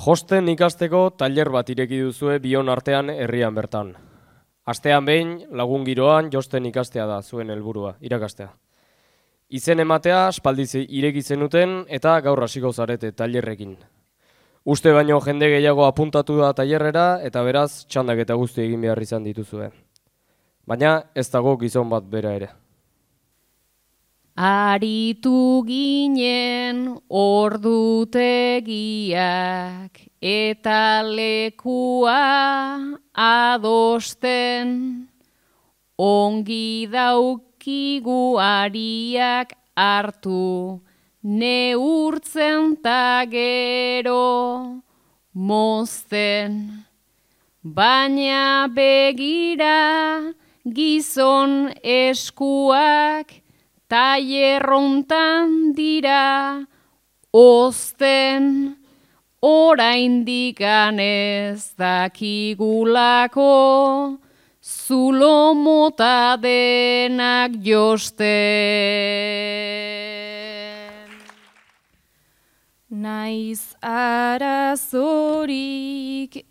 Josten ikasteko tailer bat ireki duzue bion artean herrian bertan. Astean behin, lagun giroan josten ikastea da zuen helburua, irakastea. Izen ematea aspaldiz ireki zenuten eta gaur hasiko zarete tailerrekin. Uste baino jende gehiago apuntatu da tailerrera eta beraz txandak eta guzti egin behar izan dituzue. Baina ez dago gizon bat bera ere. Aritu ginen ordutegiak eta lekua adosten, ongi daukigu ariak hartu, neurtzen ta gero mozten. Baina begira gizon eskuak tailerrontan dira ozten, oraindik ez dakigulako zulo mota denak josten. Naiz arazorik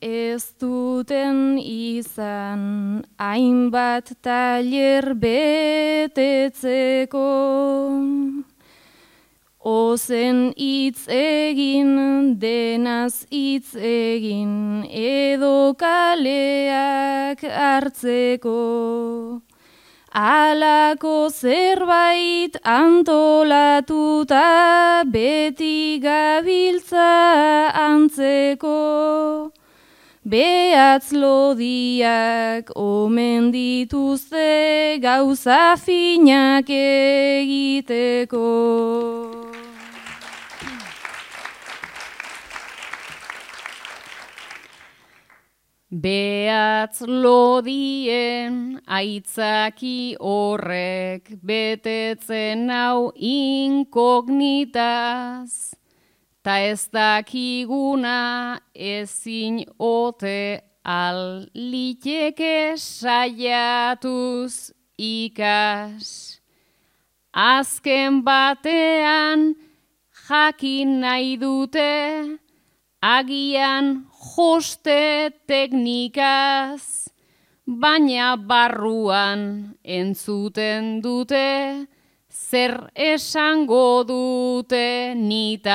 ez duten izan, hainbat tailer betetzeko. Ozen hitz egin, denaz hitz egin, edo kaleak hartzeko. Alako zerbait antolatuta beti gabiltza antzeko. Behatz lodiak omen dituzte gauza finak egiteko. Behatz lodien aitzaki horrek betetzen hau inkognitaz, ta ez dakiguna ezin ote liteke saiatuz ikas. Azken batean jakin nahi dute, agian joste teknikaz, baina barruan entzuten dute, zer esango dute nitaz.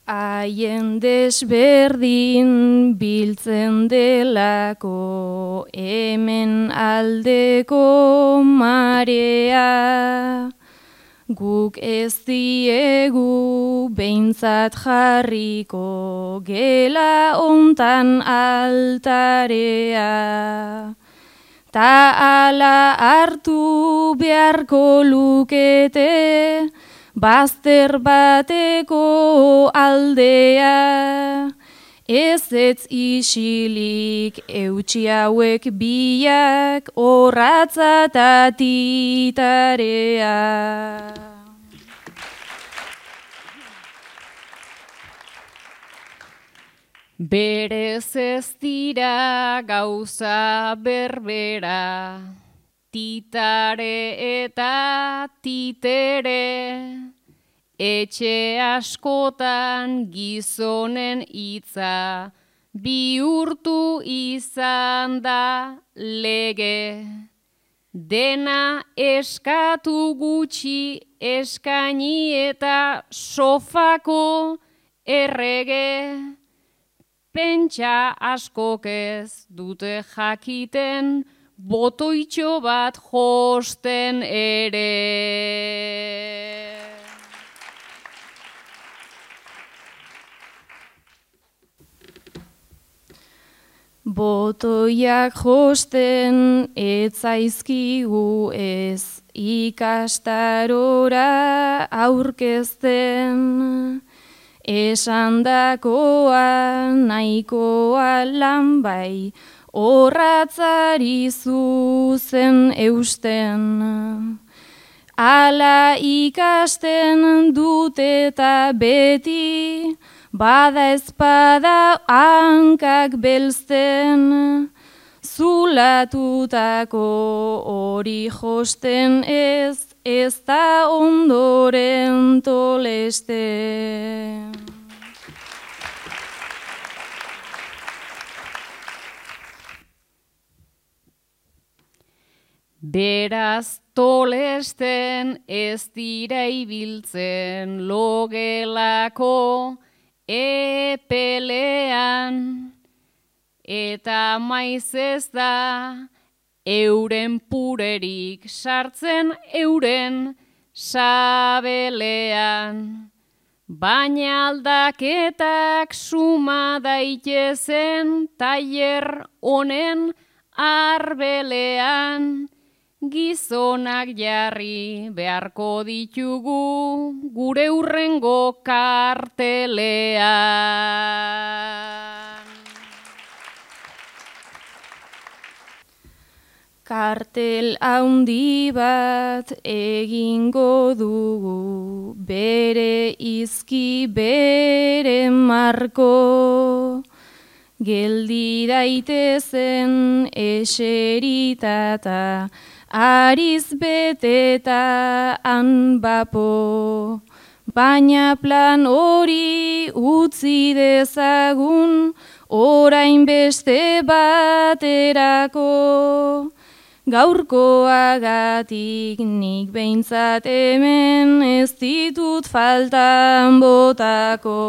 Haien desberdin biltzen delako hemen aldeko marea. Guk ez diegu behintzat jarriko gela hontan altarea. Ta ala hartu beharko lukete bazter bateko aldea. Ez isilik eutsi hauek biak orratza ta titarea. Berez ez dira gauza berbera, titare eta titere. Etxe askotan gizonen hitza bihurtu izan da lege. Dena eskatu gutxi eskaini eta sofako errege. Pentsa askok ez dute jakiten botoitxo bat josten ere. Botoiak josten etzaizkigu ez ikastarora aurkezten. Esandakoa nahikoa lan bai, orratzari zuzen eusten. Ala ikasten dut eta beti, bada ezpada hankak belzten. Zulatutako hori josten ez ez da ondoren toleste. Beraz tolesten ez dira ibiltzen logelako epelean, eta maiz ez da euren purerik sartzen euren sabelean. Baina aldaketak suma daitezen tailer honen arbelean, gizonak jarri beharko ditugu gure hurrengo kartelean. Kartel handi bat egingo dugu, bere izki bere marko, geldi daitezen eseritata, ariz beteta hanbapo, baina plan hori utzi dezagun, orain beste baterako. Gaurkoagatik nik behintzat hemen ez ditut faltan botako.